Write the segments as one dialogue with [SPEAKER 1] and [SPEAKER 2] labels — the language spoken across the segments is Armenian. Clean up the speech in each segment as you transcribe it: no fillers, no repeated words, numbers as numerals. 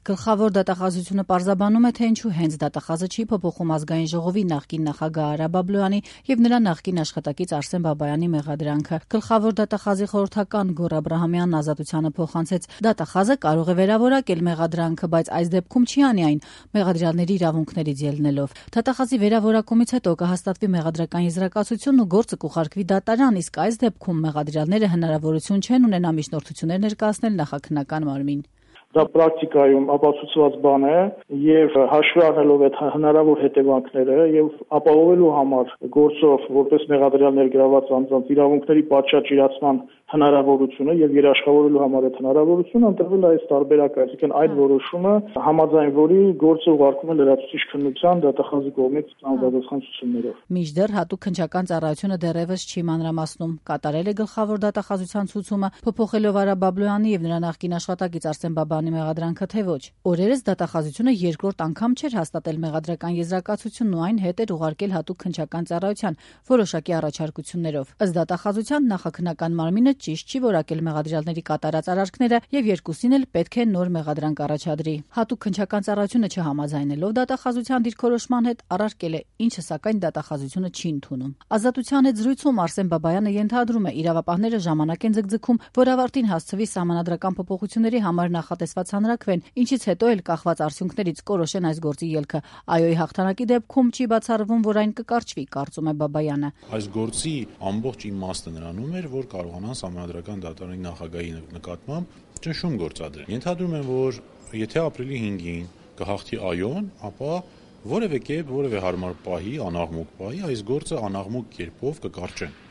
[SPEAKER 1] Գլխավոր դատախազությունը պարզաբանում է, թե ինչու հենց դատախազը չի փոփոխում Ազգային ժողովի նախկին նախագահ Արա Բաբլոյանի եւ նրա նախկին աշխատակից Արսեն Բաբայանի մեղադրանքը։ Գլխավոր դատախազի խորհրդական Գոռ Աբրահամյանն Ազատությանը փոխանցեց. դատախազը կարող է վերավորակել մեղադրանքը, բայց այս դեպքում չի անի այն մեղադրյալների իրավունքներից ելնելով։ Դատախազի վերավորակումից հետո կհաստատվի մեղադրական եզրակացությունն ու գործը կուղարկվի դատարան, իսկ այս դեպքում մեղադրյալները հնարավորություն չեն ունենա միջնորդություններ ներկայացնել նախաքննական մարմին։
[SPEAKER 2] Դա պրակտիկայում ապացուցված բան է եւ հաշվի առնելով այդ հնարավոր հետևանքները եւ ապահովելու համար գործով որպես մեղադրյալ ներգրաված անձանց իրավունքների պատշաճ իրացման հնարավորությունը եւ երաշխավորելու համար այդ հնարավորությունը ընտրվել է այս տարբերակը, այսինքն այդ որոշումը համաձայն որի գործը ուղարկվում է լրացուցիչ քննության դատախազի կողմից անձնադատական ցուցումներով։
[SPEAKER 1] Մինչդեռ հատուկ քննչական ծառայությունը դեռևս չի մանրամասնում, կատարել է գլխավոր դատախազության ցուցումը փոփոխելով Արա Բաբլոյանի եւ նրա նախկին աշխատակից Արսեն Բաբայանի մեղադրանքը թե ոչ։ Օրերս դատախազությունը երկրորդ անգամ չէր հաստատել մեղադրական եզրակացությունն ու այն հետ էր ուղարկել հատուկ քննչական ծառայության որոշակի առաջարկություններով։ Ըստ դատախազության նախաքննական մարմինը ճիշտ չի որակել մեղադրյալների կատարած արարքները եւ երկուսին էլ պետք է նոր մեղադրանք առաջադրի։ Հատուկ քննչական ծառայությունը չհամաձայնելով դատախազության դիրքորոշման հետ առարկել է, ինչը սակայն դատախազությունը չի ընդունում։ Ազատության հետ զրույցում Արսեն Բաբայանը ենթադրում է, իրավապահները ժամանակ են ձգձգում, որ ավարտին հասցվի սահմանադրական փոփոխությունների համար նախատեսված հանրաքվեն, ինչից հետո էլ կախված արդյունքներից կորոշեն այս գործի ելքը։ ԱՅՈ-ի հաղթանակի դեպքում չի բացառվում, որ այն կկարճվի, կարծում է Բաբայանը։
[SPEAKER 3] Այս գործի ամբողջ իմաստը նրանում էր, որ կարողանան սահմանադրական դատարանի նախագահի նկատմամբ ճնշում գործադրել։ Ենթադրում եմ, որ եթե ապրիլի 5-ին կհաղթի ԱՅՈ-ն, ապա որևէ կերպ, որևէ հարմար պահի, անաղմուկ պահի այս գործը անաղմուկ կերպով կկարճեն։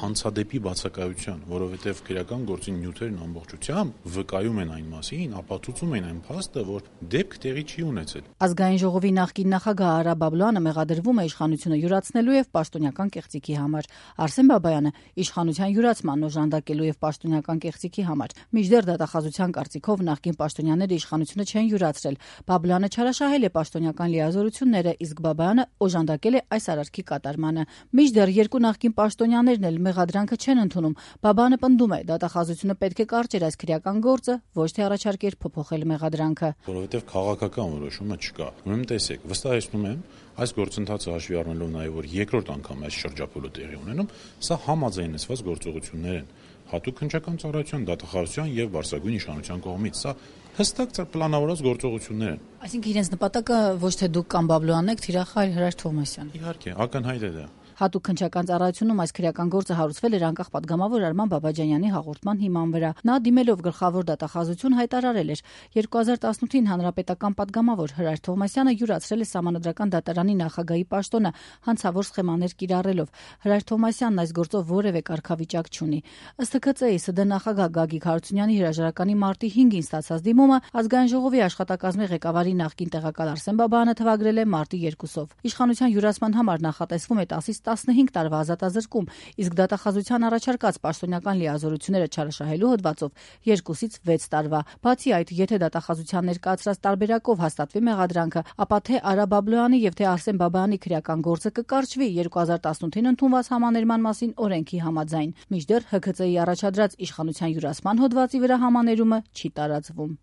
[SPEAKER 3] Հանցադեպի բացակայության, որովհետև քրեական գործի նյութերն ամբողջությամբ վկայում են այն մասին, ապացուցում են այն փաստը, որ դեպք տեղի չի ունեցել։
[SPEAKER 1] Ազգային ժողովի նախկին նախագահ Արա Բաբլոյանը մեղադրվում է իշխանությունը յուրացնելու եւ պաշտոնական կեղծիքի համար։ Արսեն Բաբայանը իշխանության յուրացման օժանդակելու եւ պաշտոնական կեղծիքի համար։ Մինչդեռ դատախազության կարծիքով նախկին պաշտոնյաները իշխանությունը չեն յուրացրել։ Բաբլոյանը չարաշահել է պաշտոնական լիազորությունները, իսկ Բաբայանը օժանդակել է այս արարքի կատարմանը։ Մինչդեռ երկու նախկին պաշտոնյաներն էլ մեղադրանքը չեն ընդունում։ Բաբայանը պնդում է, դատախազությունը պետք է կարճեր այս քրեական գործը, ոչ թե առաջարկեր փոփոխել մեղադրանքը։
[SPEAKER 3] Որովհետև քաղաքական որոշումը չկա։ Ուրեմն տեսեք, վստահեցնում եմ, այս գործընթացը հաշվի առնելով նաև որ երկրորդ անգամ այս շրջափուլը տեղի ունենում, սա համաձայնեցված գործողություններ են հատուկ քննչական ծառայության, դատախազության եւ Բարսագույն իշխանության կողմից։ Սա հստակ պլանավորված գործողություններ են։
[SPEAKER 1] Այսինքն իրենց նպատակը ոչ թե դուք կամ Բաբլոյանն եք, թիրախ այլ Հրաշ Թովմասյանը։
[SPEAKER 3] Իհարկե, ակնհայտ է դա։
[SPEAKER 1] Հատուկ քննչական ծառայությունում այս քրեական գործը հարուցվել էր անկախ պատգամավոր Արման Բաբաջանյանի հաղորդման հիման վրա։ Նա դիմելով գլխավոր դատախազություն հայտարարել էր. 2018-ին հանրապետական պատգամավոր Հրաշ Թովմասյանը յուրացրել է սահմանադրական դատարանի նախագահի պաշտոնը հանցավոր սխեմաներ կիրառելով։ Հրաշ Թովմասյանն այս գործով որևէ կարգավիճակ չունի։ Ըստ ՀՔԾ-ի ՍԴ նախագահ Գագիկ Հարությունյանի հրաժարականի մարտի 5-ին ստացած դիմումը Ազգային ժողովի աշխատակազմի ղեկավարի նախկին տեղակալ Արսեն Բաբայանը թվագրել է մարտի 2-ով։ Իշխանության յուրացման համար նախատեսվում է 10-ից 15 տարվա ազատազրկում, իսկ դատախազության առաջարկած պաշտոնական լիազորությունները չարաշահելու հոդվածով 2-ից 6 տարվա։ Բացի այդ, եթե դատախազության ներկայացրած տարբերակով հաստատվի մեղադրանքը, ապա թե Արա Բաբլոյանի եւ թե Արսեն Բաբայանի քրեական գործը կկարճվի 2018-ին ընդունված համաներման մասին օրենքի համաձայն։ Մինչդեռ ՀՔԾ-ի առաջադրած իշխանության յուրացման հոդվածի վրա համաներումը չի տարածվում։